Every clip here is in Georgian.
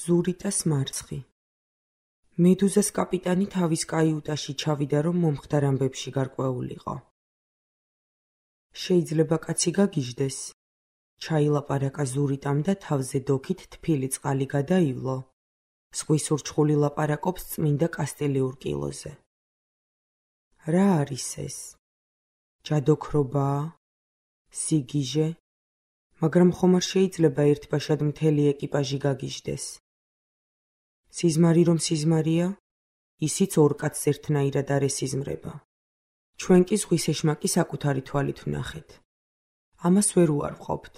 ზურიტას მარცხი. მედუზას კაპიტანი თავის კაიუტაში ჩავიდა, რომ მომხდარ ამბებში გარკვეულიყო. შეიძლება კაცი გაგიჟდეს. ჩაილაპარაკა ზურიტამ და თავზე დოქით თბილი წყალი გადაივლო. ზღვის ურჩხული ლაპარაკობს წმინდა კასტილიურ კილოზე. რა არის ეს? ჯადოქრობაა? სიგიჟე? მაგრამ ხომ არ შეიძლება ერთბაშად მთელი ეკიპაჟი გაგიჟდეს. სიზმარი რომ სიზმარია, ისიც ორ კაცს ერთნაირად არ ესიზმრება. ჩვენ კი ზღვის ეშმაკი საკუთარი თვალით ვნახეთ. ამას ვერ უარყოფთ.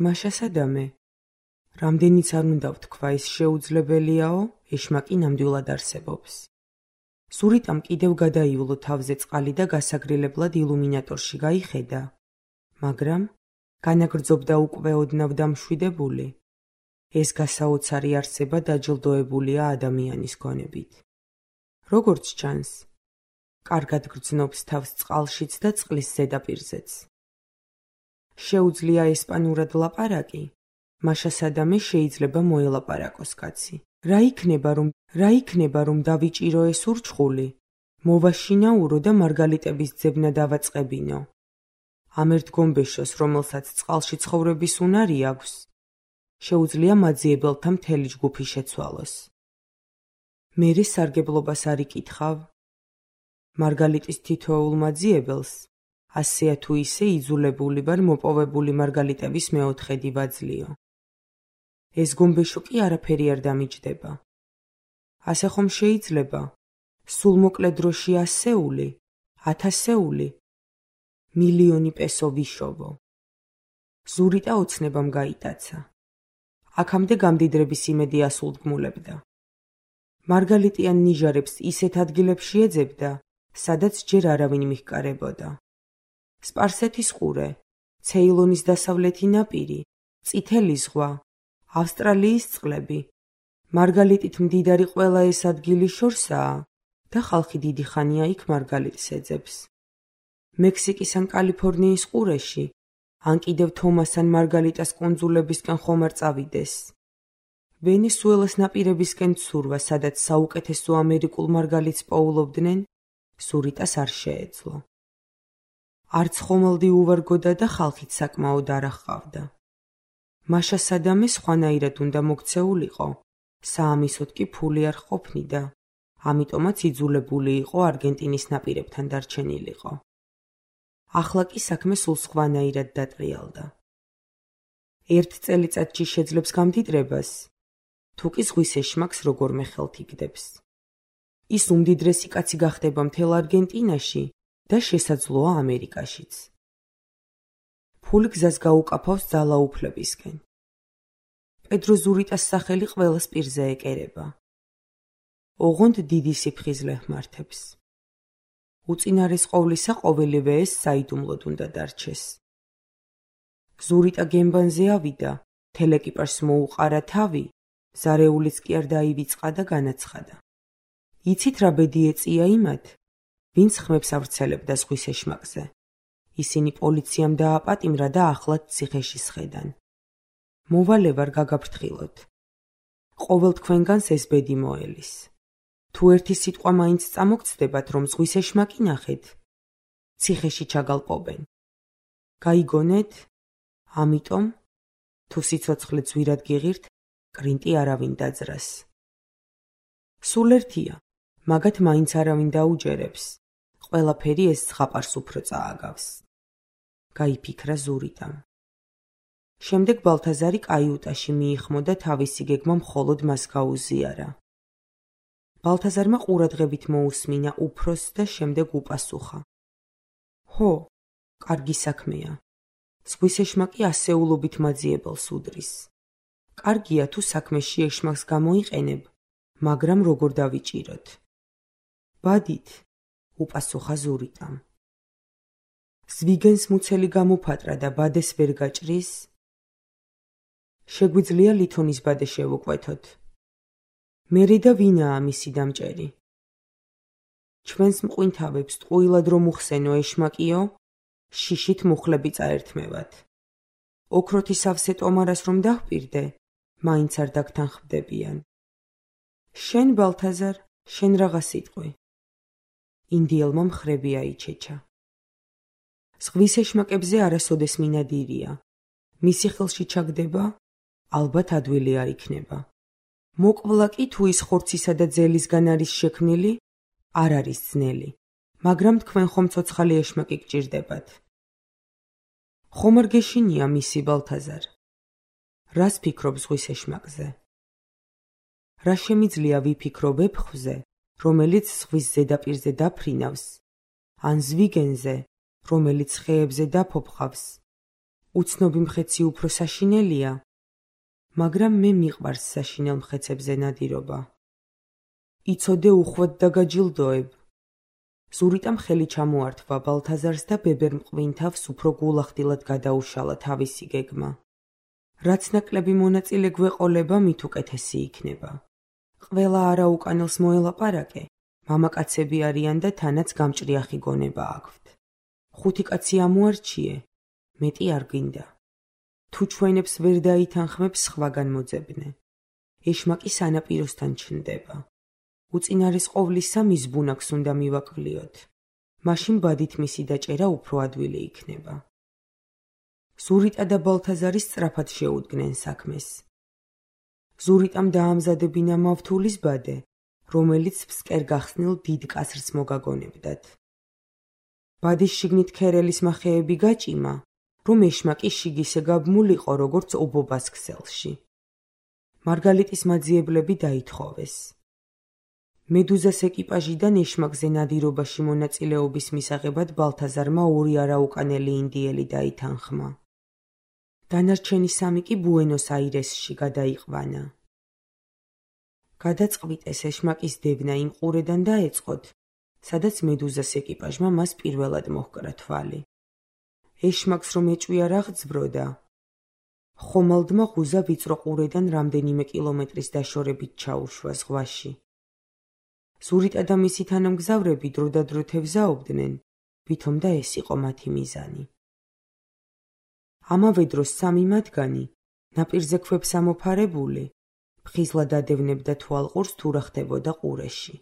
მაშა სადამე, რამდენიც არ უნდა ვთქვა, ეს შეუძლებელიაო, ეშმაკი ნამდვილად არსებობს. ზურიტამ კიდევ გადაივლო თავზე წყალი და გასაგრილებლად ილუმინატორში გაიხედა, მაგრამ განაგრძობდა უკვე ოდნავ დამშვიდებული. ეს გასაოცარი არსება დაჯილდოებულია ადამიანის გონებით. როგორც ჩანს, კარგად გრძნობს თავს წყალშიც და წყლის ზედაპირზეც. შეუძლია ესპანურად ლაპარაკი, მაშა სადამე შეიძლება მოელაპარაკოს კაცი. რა იქნება რომ დავიჭირო ეს ურჩხული? მოვაშინაურო და მარგალიტების ძებნა დავაწყებინო. ამ ერთ გომბეშოს, რომელსაც წყალში ცხოვრების უნარი აქვს, შეუძლია მაძიებელთა მთელი ჯგუფი შეცვალოს. მერე სარგებლობას არ იკითხავ? მარგალიტის თითოეულ მაძიებელს, ასეა თუ ისე იძულებული ვარ მოპოვებული მარგალიტების მეოთხედი ვაძლიო. ეს გომბეშო კი არაფერი არ დამიჯდება. ასე ხომ შეიძლება? სულ მოკლე დროში 100-ული, 1000-ული, მილიონი პესო ვიშოვო. ზურიტა ოცნებამ გაიტაცა. აქამდე გამდიდრების იმედი ასულდგმულებდა. მარგალიტიან ნიჟარებს ისეთ ადგილებში ეძებდა, სადაც ჯერ არავინ მიჰკარებოდა. სპარსეთის ყურე, ცეილონის დასავლეთი ნაპირი, წითელი ზღვა, ავსტრალიის წყლები. მარგალიტით მდიდარი ყველა ეს ადგილი შორსაა და ხალხი დიდი ხანია იქ მარგალიტს ეძებს. მექსიკის ან კალიფორნიის ყურეში, ან კიდევ თომას ან მარგალიტას კუნძულებისკენ ხომ არ წავიდეს. ვენესუელას ნაპირებისკენ ცურვა, სადაც საუკეთესო ამერიკულ მარგალიტს პოულობდნენ, ზურიტას არ შეეძლო. არც ხომალდი უვარგოდა და ხალხით საკმაოდ არ აღყავდა. მაშა სადამე სხვანაირად უნდა მოქცეულიყო, საამისოდ კი ფული არ ყოფნიდა, ამიტომაც იძულებული იყო არგენტინის ნაპირებთან დარჩენილიყო. ახლა კი საქმე სულ სხვანაირად დატრიალდა. ერთ წელიწადში შეძლებს გამდიდრებას, თუ კი ზღვის ეშმაკს როგორმე ხელთ იგდებს. ის უმდიდრესი კაცი გახდება მთელ არგენტინაში და შესაძლოა ამერიკაშიც. ფული გზას გაუკაფავს ძალაუფლებისკენ. პედრო ზურიტას სახელი ყველას პირზე ეკერება. ოღონდ დიდი სიფხიზლე ჰმართებს. უწინარეს ყოვლისა ყოველივე ეს საიდუმლოდ უნდა დარჩეს. ზურიტა გემბანზე ავიდა, მთელ ეკიპაჟს მოუყარა თავი, ზარეულიც კი არ დაივიწყა და განაცხადა. იცით რა ბედი ეწია იმათ, ვინც ხმებს ავრცელებდა ზღვის ეშმაკზე. ისინი პოლიციამ დააპატიმრა და ახლად ციხეში სხედან. მოვალე ვარ გაგაფრთხილოთ. ყოველ თქვენგანს ეს ბედი მოელის. თუ ერთი სიტყვა მაინც წამოგწდებათ, რომ ზღვის ეშმაკი ნახეთ, ციხეში ჩაგალპობენ. გაიგონეთ? ამიტომ, თუ სიცოცხლე ძვირად გიღირთ, კრინტი არავინ დაძრას. სულ ერთია, მაგათ მაინც არავინ დაუჯერებს. ყველაფერი ეს ზღაპარს უფრო წააგავს. გაიფიქრა ზურიტამ. შემდეგ ბალთაზარი კაიუტაში მიიხმო და თავისი გეგმა მხოლოდ მას გაუზიარა. ბალთაზარმა ყურადღებით მოусმინა უფროსს და შემდეგ უპასუხა. ჰო, კარგი საქმეა. ზღვის ეშმაკი ასეულობით მაძიებელს უდრის. კარგია თუ საქმეში ეშმაკს გამოიყენებ, მაგრამ როგორ დავიჭიროთ? ბადით, უპასუხა ზურიტამ. ზვიგენს მუცელი გამოფატრა და ბადეს ვერ გაჭრის? შეგვიძლია ლითონის ბადე შევუკვეთოთ. მერე და ვინაა მისი დამჭერი? ჩვენს მყვინთავებს ტყუილად რომ უხსენო ეშმაკიო, შიშით მუხლები წაერთმევათ. ოქროთი სავსე ტომარას რომ დაჰპირდე, მაინც არ დაგთანხმდებიან. შენ, ბალთაზარ, შენ რაღა სიტყვი. ინდიელმა მხრები აიჩეჩა. ზღვის ეშმაკებზე არასოდეს მინადირია. მისი ხელში ჩაგდება, ალბათ ადვილი არ იქნება. მოკвла კი თუ ის ხორცისა და ძელისგან არის შექმნილი, არ არის ძნელი, მაგრამ თქვენ ხომ ცოცხალი ეშმაკი გჭირდებათ. ხომ არ გეშინია მისი ბალთაზარ? რას ფიქრობ ზღვის ეშმაკზე? რა შემიძლია ვიფიქრო ვეფხვზე, რომელიც ზღვის ზედაპირზე დაფრინავს, ან ზვიგენზე, რომელიც ხეებზე დაფოფხავს? უცნობი მხეცი უფრო საშინელია, მაგრამ მე მიყვარს საშინელ მხეცებზე ნადირობა. იცოდე უხვად დაგაჯილდოებ. ზურიტამ ხელი ჩამოართვა ბალთაზარს და ბებერ მყვინთავს უფრო გულახდილად გადაუშალა თავისი გეგმა. რაც ნაკლები მონაწილე გვეყოლება, მით უკეთესი იქნება. ყველა არაუკანელს მოელაპარაკე, მამაკაცები არიან და თანაც გამჭრიახი გონება აქვთ. 5 კაცი ამოარჩიე, მეტი არ გინდა. თუ ჩვენებს ვერ დაითანხმებს სხვაგან მოძებნე. ეშმაკი სანაპიროსთან ჩნდება. უწინარეს ყოვლისა მის ბუნაკს უნდა მივაკვლიოთ. მაშინ ბადით მისი დაჭერა უფრო ადვილი იქნება. ზურიტა და ბალთაზარი სწრაფად შეუდგნენ საქმეს. ზურიტამ დაამზადებინა მავთულის ბადე, რომელიც ფსკერ გახსნილ დიდ კასრს მოგაგონებდათ. ბადის შიგნით ქერელის მახეები გაჭიმა, რომ ეშმაკი შიგისე გაბმულიყო, როგორც ობობას ქსელში. მარგალიტის მაძიებლები დაითხოვეს. მედუზას ეკიპაჟიდან ეშმაკზე ნადირობაში მონაწილეობის მისაღებად ბალთაზარმა 2 არაუკანელი ინდიელი დაითანხმა. დანარჩენი 3 კი ბუენოს-აირესში გადაიყვანა. გადაწყვიტეს ეშმაკის დევნა იმ ყურედან დაეწყოთ, სადაც მედუზას ეკიპაჟმა მას პირველად მოჰკრა თვალი. ეშმაკს რომ ეჭვია რა გძბროდა, ხომალდმა ღუზა ვიწრო ყურედან რამდენიმე კილომეტრის დაშორებით ჩაუშვა ზღვაში. ზურიტა და მისი თანამგზავრები დროდადრო თევზაობდნენ, ვითომ და ეს იყო მათი მიზანი. ამავე დროს 3 მათგანი, ნაპირზე ქვებს ამოფარებული, ფხიზლად ადევნებდა თვალყურს თუ რა ხდებოდა ყურეში.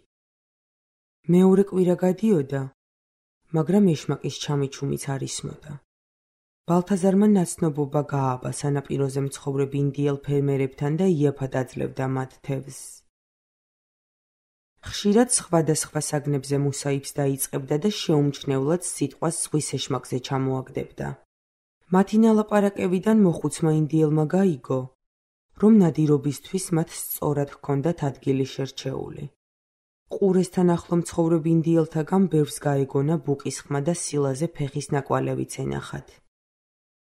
მეორე კვირა გადიოდა, მაგრამ ეშმაკის ჩამიჩუმიც არ ისმოდა. ბალთაზარმა ნაცნობობა გააბა სანაპიროზე მცხოვრებ ინდიელ ფერმერებთან და იაფად აძლევდა მათ თევზს. ხშირად სხვადასხვა საგნებზე მუსაიბს დაიწყებდა და შეუმჩნევლად სიტყვას ზღვის ეშმაკზე ჩამოაგდებდა. მათი ნალაპარაკებიდან მოხუცმა ინდიელმა გაიგო, რომ ნადირობისთვის მათ სწორად ჰქონდათ ადგილი შერჩეული. ყურესთან ახლო მცხოვრებ ინდიელთაგან ბევრს გაეგონა ბუკის ხმა და სილაზე ფეხის ნაკვალევიც ენახათ.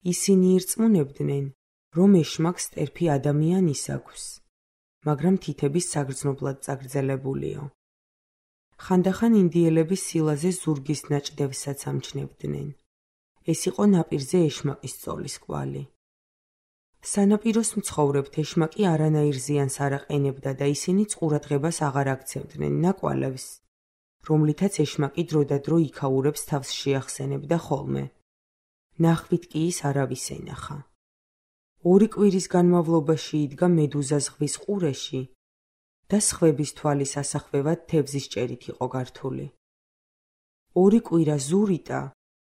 ისინი ირწმუნებდნენ, რომ ეშმაკს ტერფი ადამიანის აქვს, მაგრამ თითების საგრძნობლად წაგრძელებულიო. ხანდახან ინდიელები სილაზე ზურგის ნაჭდევსაც ამჩნევდნენ. ეს იყო ნაპირზე ეშმაკის სწოლის კვალი. სანაპიროს მცხოვრებთ ეშმაკი არანაირ ზიანს არ აყენებდა და ისინიც ყურადღებას აღარ აქცევდნენ ნაკვალევს, რომლითაც ეშმაკი დროდადრო იქაურებს თავს შეახსენებდა ხოლმე. ნახვით კი ის არავის ენახა. 2 კვირის განმავლობაში იდგა მედუზა ზღვის ყურეში და სხვების თვალის ასახვევად თევზის ჭერით იყო გართული. 2 კვირა ზურიტა,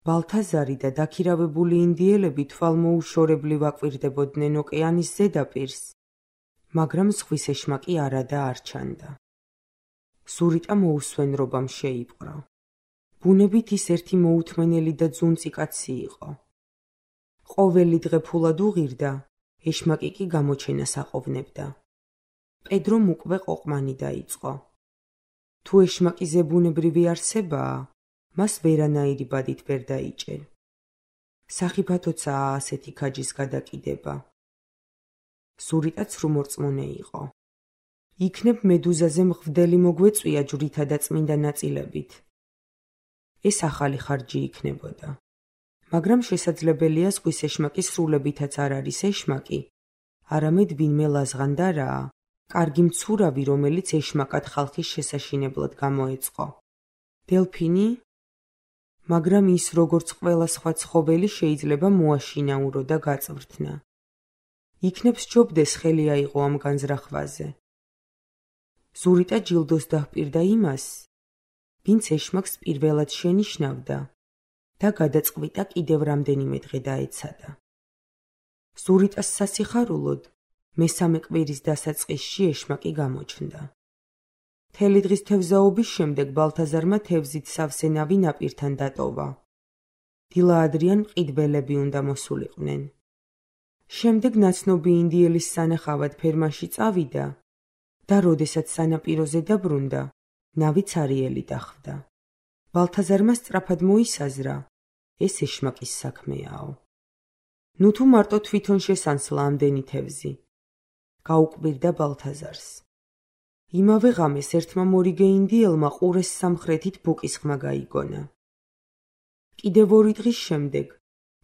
ბალთაზარი და დაქირავებული ინდიელები თვალმოუშორებლივ აკვირდებოდნენ ოკეანის ზედაპირს, მაგრამ ზღვის ეშმაკი არადა არ ჩანდა. ზურიტა მოუსვენრობამ შეიპყრო. ბუნებით ის ერთი მოუთმენელი და ძუნწი კაცი იყო. ყოველი დღე ფულად უღირდა, ეშმაკი კი გამოჩენას აყოვნებდა. პედრომ უკვე ყოყმანი დაიწყო. თუ ეშმაკი ზებუნებრივი არსებაა, მას ვერანაირი ბადით ვერ დაიჭერ. სახიფათოცაა ასეთი ქაჯის გადაკიდება. ზურიტაც რუმორწმუნე იყო. იქნებ მედუზაზე მღვდელი მოგვეწვია ჯვრითა და წმინდა ნაწილებით. ეს ახალი ხარჯი იქნებოდა. მაგრამ შესაძლებელია ზღვის ეშმაკის სრულებითაც არ არის ეშმაკი, არამედ ვინმე ლაზღანდარაა, კარგი მცურავი, რომელიც ეშმაკად ხალხის შესაშინებლად გამოეწყო. დელფინი? მაგრამ ის, როგორც ყველა სხვა ცხოველი, შეიძლება მოაშინაურო და გაწვრთნა. იქნებ სჯობდეს ხელი აიღო ამ განზრახვაზე. ზურიტა ჯილდოს დაჰპირდა იმას, ვინც ეშმაკს პირველად შენიშნავდა და გადაწყვიტა კიდევ რამდენიმე დღე დაეცადა. ზურიტას სასიხარულოდ მესამე კვირის დასაწყისში ეშმაკი გამოჩნდა. მთელი დღის თევზაობის შემდეგ ბალთაზარმა თევზით სავსე ნავი ნაპირთან დატოვა. დილა ადრიან მყიდველები უნდა მოსულიყვნენ. შემდეგ ნაცნობი ინდიელის სანახავად ფერმაში წავიდა და როდესაც სანაპიროზე დაბრუნდა, ნავი ცარიელი დახვდა. ბალთაზარმა სწრაფად მოისაზრა, ეს ეშმაკის საქმეაო. ნუ თუ მარტო თვითონ შესანსლა ამდენი თევზი. გაუკვირდა ბალთაზარს. იმავე ღამეს ერთმა მორიგე ინდიელმა ყურეს სამხრეთით ბუკის ხმა გაიგონა. კიდევ 2 დღის შემდეგ,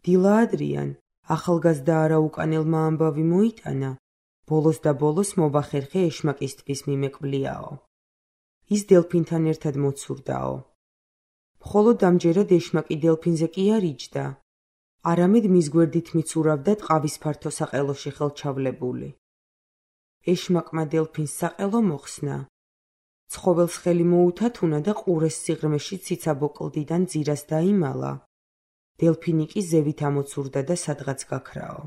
დილა ადრიან, ახალგაზრდა არაუკანელმა ამბავი მოიტანა, ბოლოს და ბოლოს მოვახერხე ეშმაკისთვის მიმეკვლიაო. ის დელფინთან ერთად მოცურდაო. მხოლოდ ამჯერად ეშმაკი დელფინზე კი არ იჯდა, არამედ მის გვერდით მიცურავდა ტყავის ფართო საყელოში ხელჩავლებული. ეშმაკმა დელფინს საყელო მოხსნა. ცხოველს ხელი მოუთათუნა და ყურეს სიღრმეში ციცაბო კლდიდან ძირას დაიმალა. დელფინი კი ზევით ამოცურდა და სადღაც გაქრაო.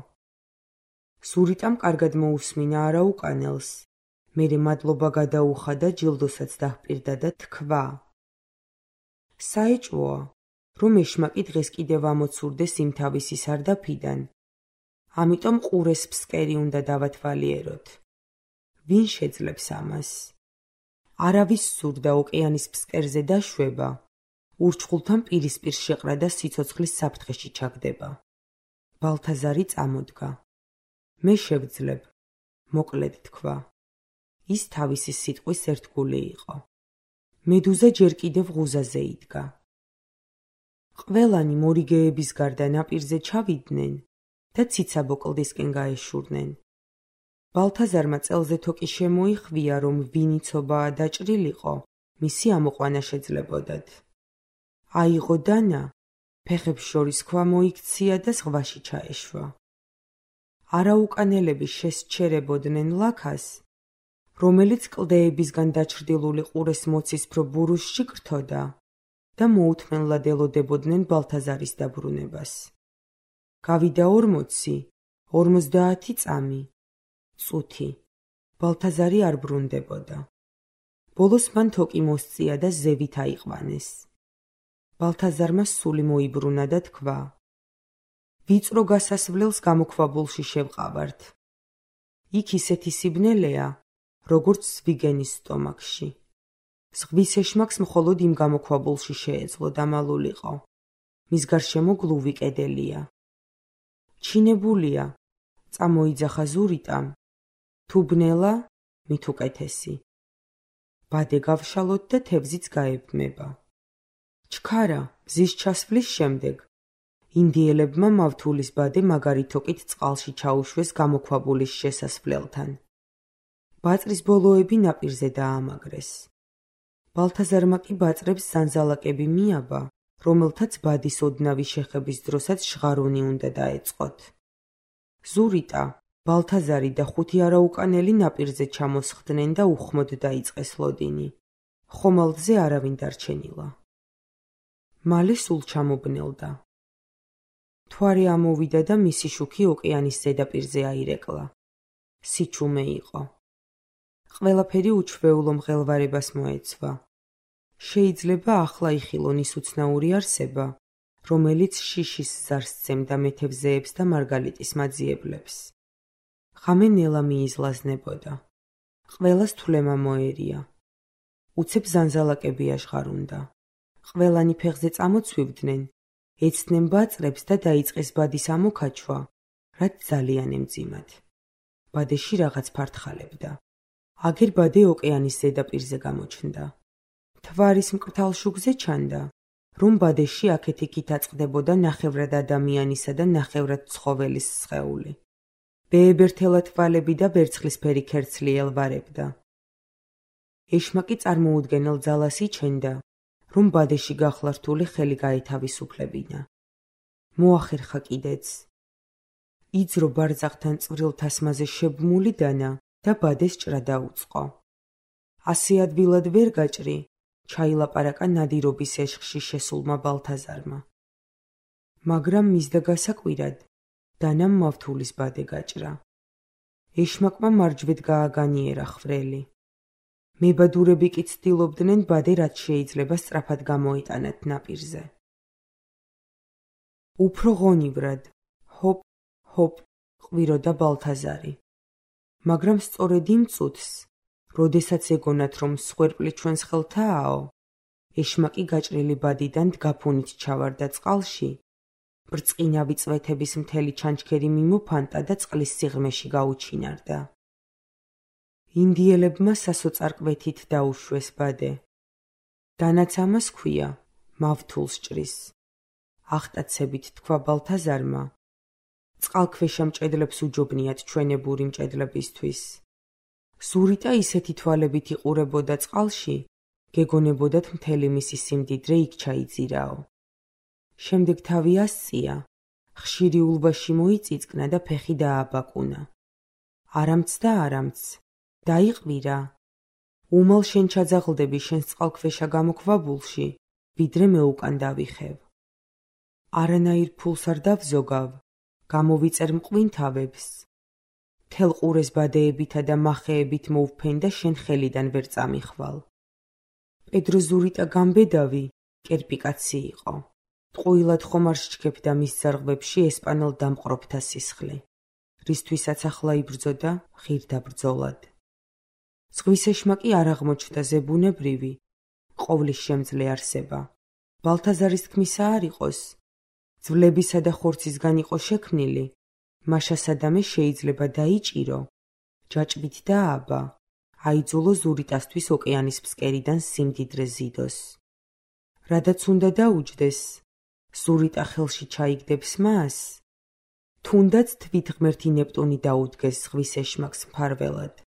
ზურიტამ კარგად მოусმინა არაუკანელს. მერე მადლობა გადაუხადა, ჯილდოსაც დაჰპირდა და თქვა: საეჭვოა, რომ ეშმაკი დღეს კიდევ ამოცურდეს იმ თავისი სარდაფიდან. ამიტომ ყურეს ფსკერი უნდა დავათვალიეროთ. ვინ შეძლებს ამას? არავის სურდა ოკეანის ფსკერზე დაშვება, ურჩხულთან პირისპირ შეყრა და სიცოცხლის საფრთხეში ჩაგდება. ბალთაზარი წამოდგა. მე შევძლებ, მოკლედ თქვა. ის თავისი სიტყვის ერთგული იყო. მედუზა ჯერ კიდევ ღუზაზე იდგა. ყველანი მორიგეების გარდა ნაპირზე ჩავიდნენ და ციცაბო კლდისკენ გაეშურნენ. ბალთაზარმა წელზე თოკი შემოიხვია, რომ ვინი ცობაა დაჭრილიყო, მისი ამოყვანა შეძლებოდათ. აიღო დანა, ფეხებს შორის ქვა მოიქცია და ზღვაში ჩაეშვა. არაუკანელები შესჩერებოდნენ ლაქას, რომელიც კლდეებისგან დაჩრდილული ყურეს მოცისფრო ბურუსში გრთოდა და მოუთმენლად ელოდებოდნენ ბალთაზარის დაბრუნებას. გავიდა 40, 50 წამი. წუთი. ბალთაზარი არ ბრუნდებოდა. ბოლოს მან თოკი მოსწია და ზევით აიყვანეს. ბალთაზარმა სული მოიბრუნა და თქვა: ვიწრო გასასვლელს გამოქვაბულში შევყავართ. იქ ისეთი სიბნელეა, როგორც ზვიგენის სტომაქში. ზღვის ეშმაკს მხოლოდ იმ გამოქვაბულში შეეძლო დამალულიყო. მის გარშემო გლუვი კედელია. ჩინებულია, წამოიძახა ზურიტამ. თუ ბნელა, მით უკეთესი. ბადე გავშალოთ და თევზიც გაებმება. ჩქარა, მზის ჩასვლის შემდეგ, ინდიელებმა მავთულის ბადე მაგარი თოკით წყალში ჩაუშვეს გამოქვაბულის შესასვლელთან. ბაწრის ბოლოები ნაპირზე დაამაგრეს. ბალთაზარმა კი ბაწრებს ზანზალაკები მიაბა, რომელთაც ბადის ოდნავი შეხების დროსაც ჟღარუნი უნდა დაეწყოთ. ზურიტა, ბალთაზარი და 5 არაუკანელი ნაპირზე ჩამოსხდნენ და უხმოდ დაიწყეს ლოდინი. ხომალდზე არავინ დარჩენილა. მალე სულ ჩამობნელდა. მთვარე ამოვიდა და მისი შუქი ოკეანის ზედაპირზე აირეკლა. სიჩუმე იყო. ყველაფერი უჩვეულო მღელვარებას მოეცვა. შეიძლება ახლა იხილონ ის უცნაური არსება, რომელიც შიშის ზარს სცემდა მეთევზეებს და მარგალიტის მაძიებლებს. ღამე ნელა მიიზლაზნებოდა. ყველას თვლემა მოერია. უცებ ზანზალაკები აშღარუნდა. ყველანი ფეხზე წამოცვივდნენ, ეცდნენ ბაწრებს და დაიწყეს ბადის ამოქაჩვა, რაც ძალიან ემძიმათ. ბადეში რაღაც ფართხალებდა. აგერ ბადე ოკეანის ზედაპირზე გამოჩნდა. მთვარის მკრთალ შუქზე ჩანდა, რომ ბადეში აქეთ-იქით აწყდებოდა ნახევრად ადამიანისა და ნახევრად ცხოველის სხეული. ბეებერთელა თვალები და ვერცხლისფერი ქერცლი ელვარებდა. ეშმაკი წარმოუდგენელ ძალას იჩენდა, რომ ბადეში გახლართული ხელი გაეთავისუფლებინა. მოახერხა კიდეც. იძრო ბარძაღთან წვრილ თასმაზე შებმული დანა და ბადეს ჭრა დაუწყო. ასე ადვილად ვერ გაჭრი, ჩაილაპარაკა ნადირობის ეშხში შესულმა ბალთაზარმა. მაგრამ მისდა გასაკვირად, დანამ მავთულის ბადე გაჭრა. ეშმაკმა მარჯვედ გააგანიერა ხვრელი. მებადურები კი ცდილობდნენ ბადე რაც შეიძლება სწრაფად გამოეტანათ ნაპირზე. უფრო ღონივრად, ჰოპ, ჰოპ, ყვიროდა ბალთაზარი. მაგრამ სწორედ იმ წუთს, როდესაც ეგონათ, რომ სხვერპლი ჩვენს ხელთააო, ეშმაკი გაჭრილი ბადიდან დგაფუნით ჩავარდა წყალში, ბრწყინავი წვეთების მთელი ჩანჩქერი მიმოფანტა და წყლის სიღრმეში გაუჩინარდა. ინდიელებმა სასოწარკვეთით დაუშვეს ბადე. დანაც ამას ქვია, მავთულს ჭრის. ახტაცებით თქვა ბალთაზარმა, წყალქვეშა მჭედლებს უჯობნიათ ჩვენებური მჭედლებისთვის. ზურიტა ისეთი თვალებით იყურებოდა წყალში, გეგონებოდათ მთელი მისი სიმდიდრე იქ ჩაიძირაო. შემდეგ თავი ასწია, ხშირი ულვაში მოიწიწკნა და ფეხი დააბაკუნა. არამც და არამც, დაიყვირა. უმალ შენ ჩაძაღლდები შენს წყალქვეშა გამოქვაბულში, ვიდრე მე უკან დავიხევ. არანაირ ფულს არ დავზოგავ, გამოვიწერ მყვინთავებს. მთელ ყურეს ბადეებითა და მახეებით მოვფენ და შენ ხელიდან ვერ წამიხვალ. პედრო ზურიტა გამბედავი, კერპი კაცი იყო. ტყუილად ხომ არ სჩქებდა მის ძარღვებში ესპანელ დამყრობთა სისხლი, რისთვისაც ახლა იბრძოდა ხირდა ბრძოლად. ზღვის ეშმაკი არ აღმოჩნდა ზებუნებრივი, ყოვლის შემძლე არსება. ბალთაზარის თქმისა არ იყოს, ძვლებისა და ხორცისგან იყო შექმნილი, მაშა სადამე შეიძლება დაიჭირო, ჯაჭვით დააბა, აიძულო ზურიტასთვის ოკეანის ფსკერიდან სიმდიდრე ზიდოს. რადაც უნდა დაუჯდეს, ზურიტა ხელში ჩაიგდებს მას, თუნდაც თვით ღმერთი ნეპტუნი დაუდგეს ზღვის ეშმაკს მფარველად.